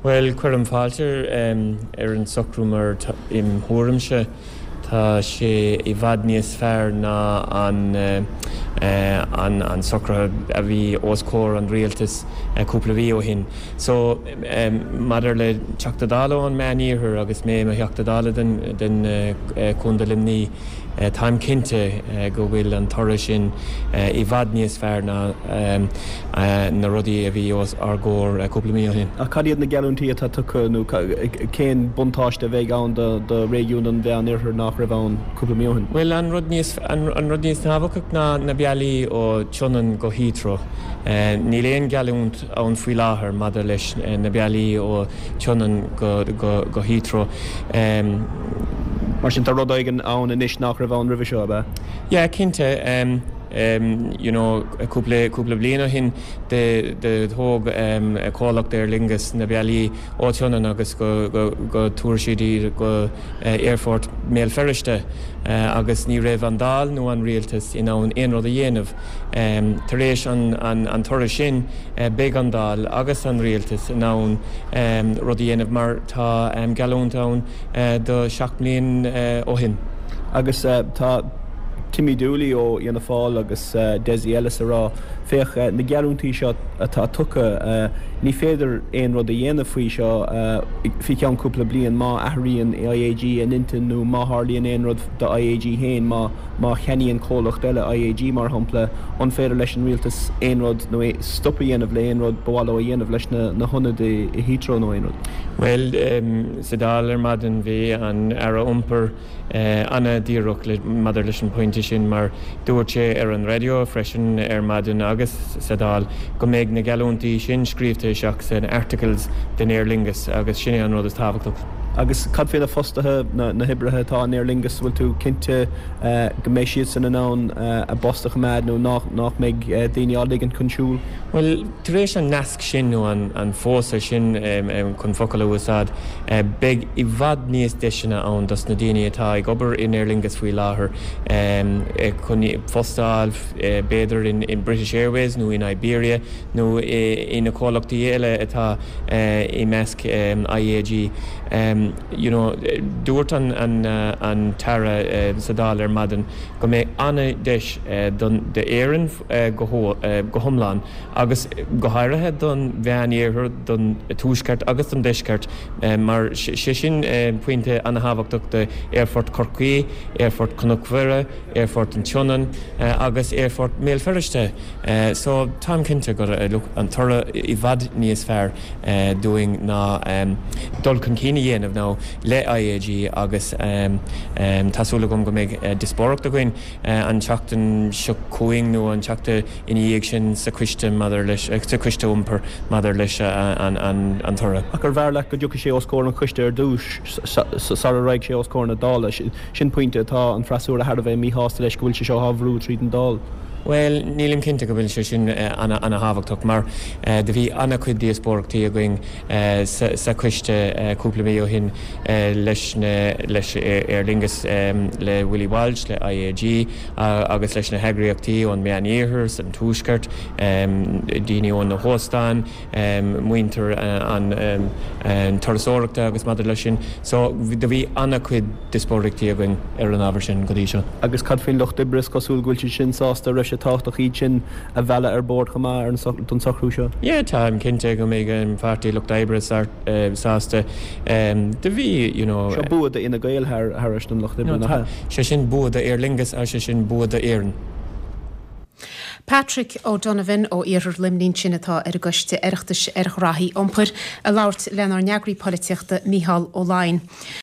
Bhuel, cuirim fáilte ar an socrú mar im thuairimse tá sé i bhfad níos fearr ná an an socruithe a bhí os comhair an rialtais cúpla mhí ó shin. So, maidir le Teachta Dála ón Meán-Iarthar agus mé i mo Theachta Dála den Chontae Luimní, Táim cinnte go bhfuil an toradh sin i bhfad níos fearr ná na rudaí a bhí os ár gcomhair cúpla mí ó shin. Ach cad iad na geallúintí atá tugtha nó cén buntáiste a bheidh ann do réigiún an Mheán-Oirthir nach raibh ann cúpla mí ó shin? Bhuel, an rud níos, an rud níos tábhachtaí ná na bealaí ó Tsionainn go Heathrow. Níl aon gheallúint ann faoi láthair maidir leis na bealaí ó Tsionainn go Heathrow. Mar sin tá rud éigin ann anois nach raibh ann roimhe seo, ab ea? Yeah, cinnte. You know, cúpla, cúpla bliain ó shin do thóg comhlacht Aer Lingus na bealaí ó Tsionainn agus go, go, go tabharfaidh siad iad go Aerfort Bhéal Feirste agus ní raibh an Dáil nó an Rialtas in ann aon rud a dhéanamh. Tar éis an toradh sin, beidh an Dáil agus an Rialtas in ann rud a dhéanamh mar tá geallúint ann do 7 mbliain ó shin. Agus tá Timmy Dooley ó Fhianna Fáil agus Dessie Ellis ag rá, féach, na geallúintí seo atá tugtha, ní féidir aon rud a dhéanamh faoi seo faoi cheann cúpla bliain má athraíonn IAG a n-intinn nó má tharlaíonn aon rud do IAG féin, má. Má cheannaíonn comhlacht eile IAG, mar shampla, an féidir leis an rialtas aon rud nó stop a dhéanamh le aon rud ba mhaith leo a dhéanamh leis na hionaid i Heathrow nó aon rud? Bhuel, sa Dáil ar maidin bhí an Aire Iompair an-díreach maidir leis an bpointe sin mar dúirt sé ar an raidió freisin ar maidin agus sa Dáil go mbeidh na geallúintí sin scríobhta isteach san Articles den Aer Lingus agus sin é an rud is tábhachtach. Agus cad faoi na fostaithe, na hoibrithe atá in Aer Lingus, bhfuil tú cinnte go mbeidh siadsan in ann a bpost a choimeád nó nach mbeidh daoine á ligint chun siúil? Bhuel, tar éis an nasc sin nó an phósadh sin, chun focal a úsáid, beidh i bhfad níos deiseanna ann dos na daoine atá ag obair in Aer Lingus faoi láthair chun post a fháil, b'fhéidir in British Airways nó in Iberia nó i na comhlachtaí eile atá i measc IAG. You know, dúirt an tAire sa Dáil ar maidin go mbeidh an-deis d'Éirinn go hiomlán agus go háirithe don Mheán-Iarthar, don Tuaisceart agus don Deisceart mar sé sin pointe an-thábhachtach d'Aerfort Chorcaí, Aerfort Chnoc Mhuire, Aerfort an tSionainn agus Aerfort Bhéal Feirste. So, táim cinnte go look, an toradh i bhfad níos fearr dúinn ná dul chun cinn a dhéanamh now le IAG agus tá súil agam go mbeidh díospóireacht againn an tseachtain seo chugainn nó an tseachtain ina dhiaidh sin sa choiste maidir leis, sa choiste iompair maidir leis an toradh. Ach arbh fhearr leat go dtiocfadh sé os comhair an choiste ar dtús sara raghaidh sé os comhair na Dála? Sin pointe atá an freasúra thar a bheith míshásta leis, go bhfuil sé seo á bhrú tríd an Dáil. Bhuel, nílim cinnte go bhfuil sé sin ana-thábhachtach mar do bhí ana-chuid díospóireachtaí againn sa choiste cúpla mí ó shin leis na, leis Aer Lingus, le Willie Walsh, le IAG agus leis na heagraíochtaí ón Meán-Iarthar, san Tuaisceart, daoine ó na hóstáin, muintir an turasóireachta agus maidir leis sin. So, do bhí ana-chuid díospóireachtaí againn ar an ábhar sin go dtí seo. Agus cad faoin lucht oibre, is cosúil go bhfuil siad sin sásta, raibh sé tábhachtach iad sin a mhealladh ar bord chomh maith don socrú seo? Yeah, táim cinnte go mbeidh an Pháirtí Lucht Oibre sásta. Do bhí, you know. Seo bua do Fhine Gael thar an Lucht Oibre, nach ea? Sé sin bua do Aer Lingus agus sé sin bua d'Éirinn. Patrick O'Donovan ó Iarthar Luimnigh ansin atá ar an gCoiste Oireachtais ar Ghraithí Iompair ag labhairt lenár n-eagraí polaitíochta Micheál Ó Laighin.